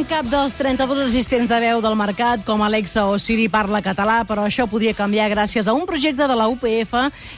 cap dels 32 assistents de veu del mercat, com Alexa o Siri, parla català, però això podria canviar gràcies a un projecte de la UPF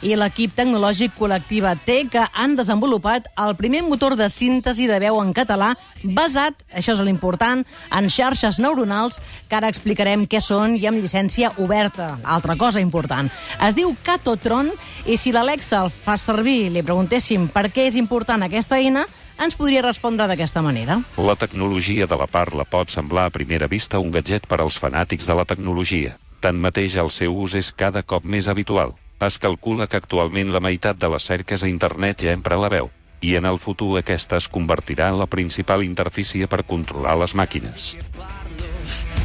i l'equip tecnològic Col·lectiva T, que han desenvolupat el primer motor de síntesi de veu en català basat, això és l'important, en xarxes neuronals, que ara explicarem què són i amb llicència oberta. Altra cosa important. Es diu Catotron, i si l'Alexa el fa servir, li preguntéssim per què és important aquesta eina, ens podria respondre d'aquesta manera. La tecnologia de la parla pot semblar a primera vista un gadget per als fanàtics de la tecnologia. Tanmateix, el seu ús és cada cop més habitual. Es calcula que actualment la meitat de les cerques a internet ja empra la veu, i en el futur aquesta es convertirà en la principal interfície per controlar les màquines.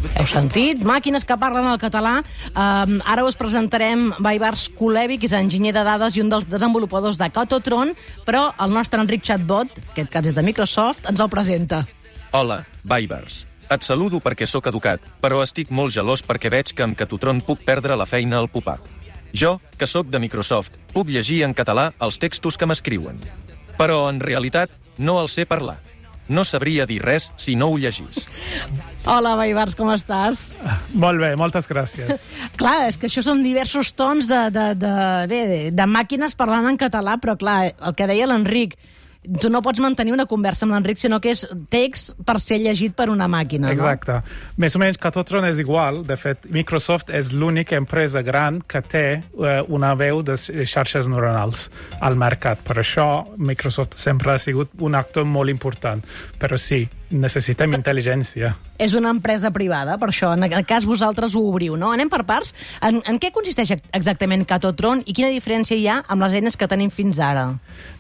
Heu sentit? Màquines que parlen el català. Ara us presentarem Baibars Kulevi, que és enginyer de dades i un dels desenvolupadors de Catotron, però el nostre Enric Chatbot, aquest cas és de Microsoft, ens el presenta. Hola, Baibars. Et saludo perquè sóc educat, però estic molt gelós perquè veig que amb Catotron puc perdre la feina al pop-up. Jo, que sóc de Microsoft, puc llegir en català els textos que m'escriuen. Però, en realitat, no els sé parlar. No sabria dir res si no ho llegís. Hola, Baibars, com estàs? Molt bé, moltes gràcies. Clar, és que això són diversos tons de màquines parlant en català, però clar, el que deia l'Enric, tu no pots mantenir una conversa amb l'Enric, sinó que és text per ser llegit per una màquina, no? Exacte. Més o menys Catotron és igual. De fet, Microsoft és l'única empresa gran que té una veu de xarxes neuronals al mercat. Per això, Microsoft sempre ha sigut un actor molt important. Però sí, necessitem intel·ligència. És una empresa privada, per això, en el cas vosaltres ho obriu, no? Anem per parts. En què consisteix exactament Catotron i quina diferència hi ha amb les eines que tenim fins ara?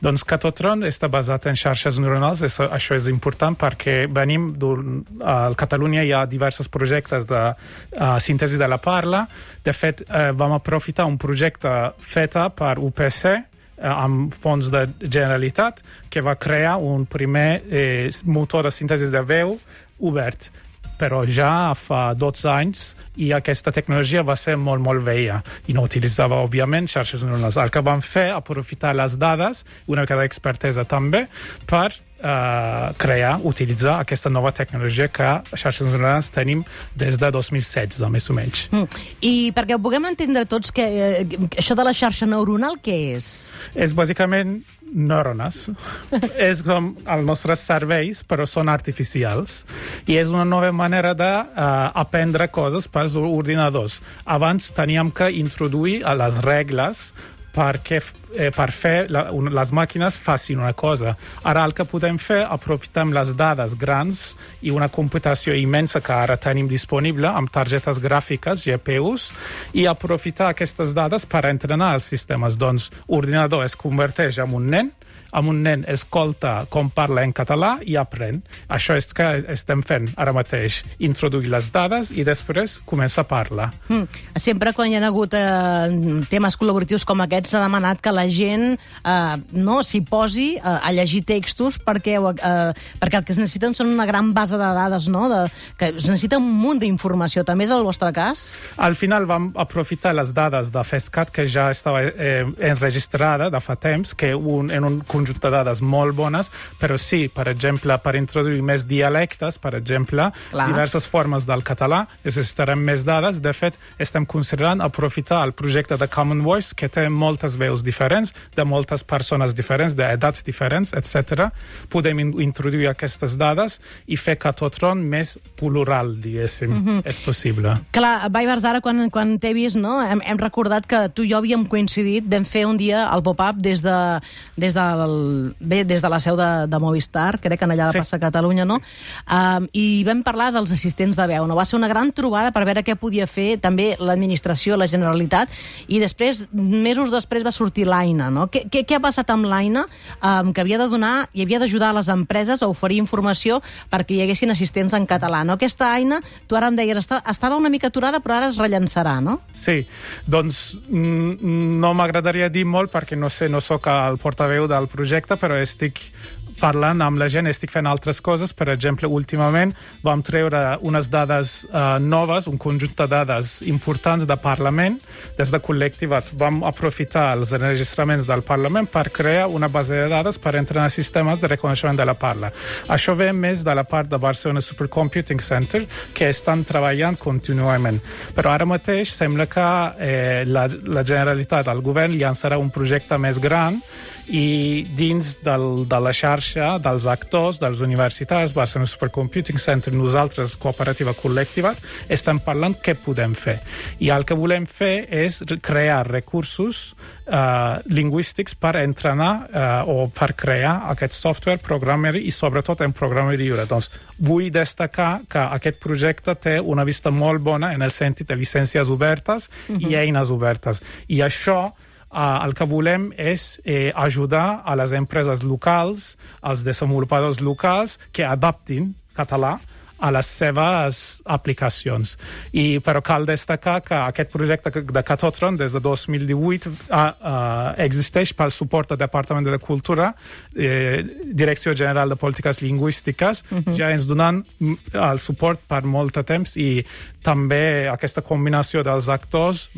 Doncs Catotron està basat en xarxes neuronals. Això és important perquè venim a Catalunya hi ha diversos projectes de síntesi de la parla. De fet, vam aprofitar un projecte fet per UPC, amb fons de Generalitat, que va crear un primer motor de síntesi de veu obert. Però ja fa 12 anys i aquesta tecnologia va ser molt, molt vella i no utilitzava, òbviament, xarxes neuronals. El que vam fer, aprofitar les dades, una mica d'expertesa també, per utilitzar aquesta nova tecnologia que xarxes neuronals tenim des de 2016, més o menys. I perquè ho puguem entendre tots, això de la xarxa neuronal, què és? És bàsicament neurones. És com els nostres cervells, però són artificials. I és una nova manera d'aprendre coses pels ordinadors. Abans teníem que introduir les regles per fer les màquines facin una cosa. Ara el que podem fer, aprofitem les dades grans i una computació immensa que ara tenim disponible amb targetes gràfiques, GPUs, i aprofitar aquestes dades per entrenar els sistemes. Doncs l'ordinador es converteix en un nen escolta com parla en català i aprèn. Això és que estem fent ara mateix, introduir les dades i després comença a parlar. Sempre quan hi ha hagut temes col·laboratius com aquests s'ha demanat que la gent s'hi posi a llegir textos perquè el que es necessiten són una gran base de dades, no? Que es necessita un munt d'informació. També és el vostre cas? Al final vam aprofitar les dades de FESCAT, que ja estava enregistrada de fa temps, que en un conjunt de dades molt bones, però sí, per exemple, per introduir més dialectes, per exemple, diverses formes del català, necessitarem més dades. De fet, estem considerant aprofitar el projecte de Common Voice, que té moltes veus diferents, de moltes persones diferents, d'edats diferents, etc. Podem introduir aquestes dades i fer Catotron més plural, diguéssim. És possible. Clar, Baibars, ara quan t'he vist, no? Hem recordat que tu i jo havíem coincidit, vam fer un dia el pop-up des de la seu de Movistar, crec que allà de Plaça Catalunya, no? I vam parlar dels assistents de veu, no? Va ser una gran trobada per veure què podia fer també l'administració, la Generalitat, i després, mesos després, va sortir l'Aina, no? Què ha passat amb l'Aina? Que havia de donar i havia d'ajudar a les empreses a oferir informació perquè hi haguessin assistents en català, no? Aquesta Aina, tu ara em deies, estava una mica aturada, però ara es rellançarà, no? Sí, doncs no m'agradaria dir molt perquè no soc el portaveu del projecte projecte, però estic parlant amb la gent, estic fent altres coses. Per exemple, últimament vam treure unes dades noves, un conjunt de dades importants de Parlament. Des de Col·lectivat vam aprofitar els enregistraments del Parlament per crear una base de dades per entrenar sistemes de reconeixement de la parla. Això ve més de la part de Barcelona Supercomputing Center, que estan treballant contínuament. Però ara mateix sembla que la Generalitat, el govern, llançarà un projecte més gran i dins de la xarxa dels actors, dels universitats, Barcelona Supercomputing Center, nosaltres, Cooperativa Col·lectiva, estem parlant què podem fer. I el que volem fer és crear recursos lingüístics per entrenar o per crear aquest software, programari i sobretot en programari lliure. Doncs vull destacar que aquest projecte té una vista molt bona en el sentit de llicències obertes i eines obertes. I això el que volem és ajudar a les empreses locals, als desenvolupadors locals, que adaptin català a les seves aplicacions. Però cal destacar que aquest projecte de Catotron des de 2018 existeix pel suport del Departament de Cultura, Direcció General de Polítiques Lingüístiques, ja ens donen el suport per molt de temps i també aquesta combinació dels actors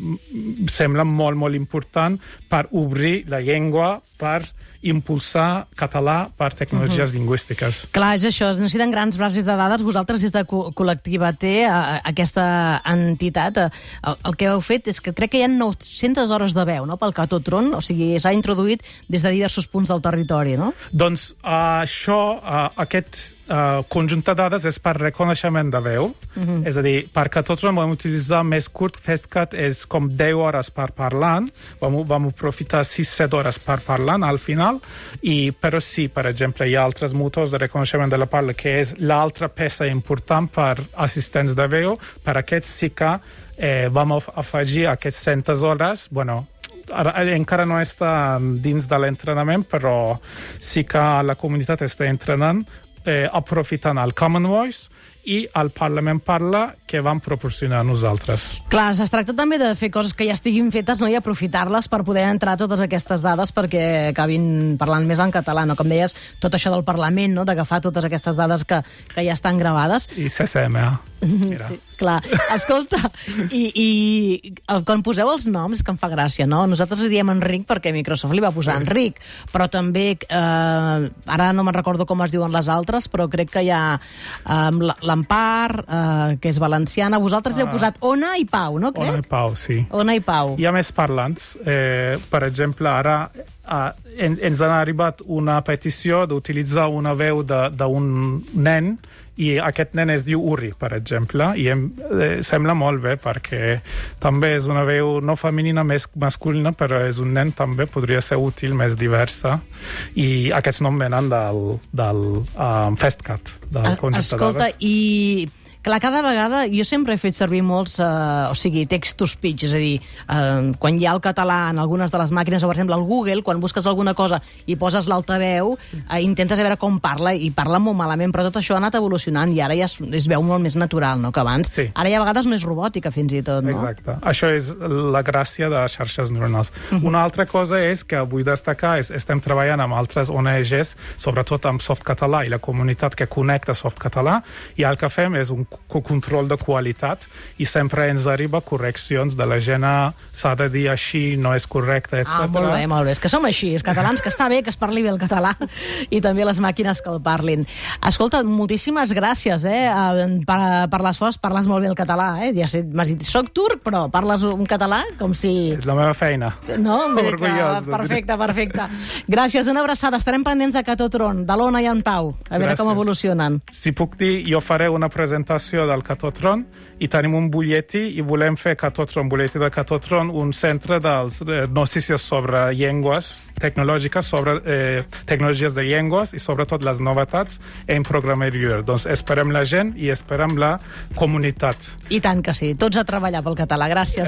sembla molt, molt important per obrir la llengua, per impulsar català per tecnologies lingüístiques. Clar, és això, es necessiten grans bases de dades. Vosaltres, des de Col·lectiva T, aquesta entitat, el que heu fet és que crec que hi ha 900 hores de veu, no?, pel Catotron, o sigui, s'ha introduït des de diversos punts del territori, no? Doncs aquest conjunt de dades és per reconeixement de veu, és a dir, per Catotron vam utilitzar més curt, FastCat és com 10 hores per parlant, vam aprofitar 6-7 hores per parlant al final, però sí, per exemple, hi ha altres motors de reconeixement de la parla, que és l'altra peça important per assistents de veu. Per aquest sí que vam afegir aquestes 100 hores, encara no està dins de l'entrenament, però sí que la comunitat està entrenant aprofitant el Common Voice i el Parlament Parla que vam proporcionar a nosaltres. Clar, es tracta també de fer coses que ja estiguin fetes, no?, i aprofitar-les per poder entrar totes aquestes dades perquè acabin parlant més en català, no? Com deies, tot això del Parlament, no?, d'agafar totes aquestes dades que ja estan gravades. I CCMA. Sí, clar. Escolta, i quan poseu els noms, que em fa gràcia, no? Nosaltres li diem Enric perquè Microsoft li va posar Enric, però també, ara no me'n recordo com es diuen les altres, però crec que hi ha l'Empar, que és valenciana. Vosaltres li heu posat Ona i Pau, no, crec? Ona i Pau, sí. Ona i Pau. Hi ha més parlants. Per exemple, ara ens ha arribat una petició d'utilitzar una veu d'un nen i aquest nen es diu Uri, per exemple, i sembla molt bé perquè també és una veu no femenina, més masculina, però és un nen també, podria ser útil, més diversa, i aquests noms venen del FastCat, del conjunt de dades. Escolta, i clar, cada vegada jo sempre he fet servir molts, text-to-speech, és a dir, quan hi ha el català en algunes de les màquines, o per exemple al Google, quan busques alguna cosa i poses l'altaveu, intentes veure com parla, i parla molt malament, però tot això ha anat evolucionant i ara ja es veu molt més natural, no?, que abans. Sí. Ara ja a vegades no és robòtica, fins i tot, no? Exacte. Això és la gràcia de xarxes neuronals. Una altra cosa és que vull destacar, estem treballant amb altres ONGs, sobretot amb Softcatalà i la comunitat que connecta Softcatalà, i el que fem és un control de qualitat i sempre ens arriba correccions de la gent, s'ha de dir així, no és correcte, etc. Molt bé, molt bé. És que som així, els catalans, que està bé que es parli bé el català i també les màquines que el parlin. Escolta, moltíssimes gràcies, per l'esforç, parles molt bé el català, Ja sé, m'has dit, soc turc, però parles un català com si... És la meva feina. No? Orgullós. Perfecte. Gràcies, una abraçada. Estarem pendents de Catotron, de l'Ona i en Pau, a veure com evolucionen. Si puc dir, jo faré una presentació del Catotron i tenim un butlletí i volem fer butlletí de Catotron, un centre dels notícies sobre llengües tecnològiques, sobre tecnologies de llengües i sobretot les novetats en programari lliure. Doncs esperem la gent i esperem la comunitat. I tant que sí, tots a treballar pel català. Gràcies.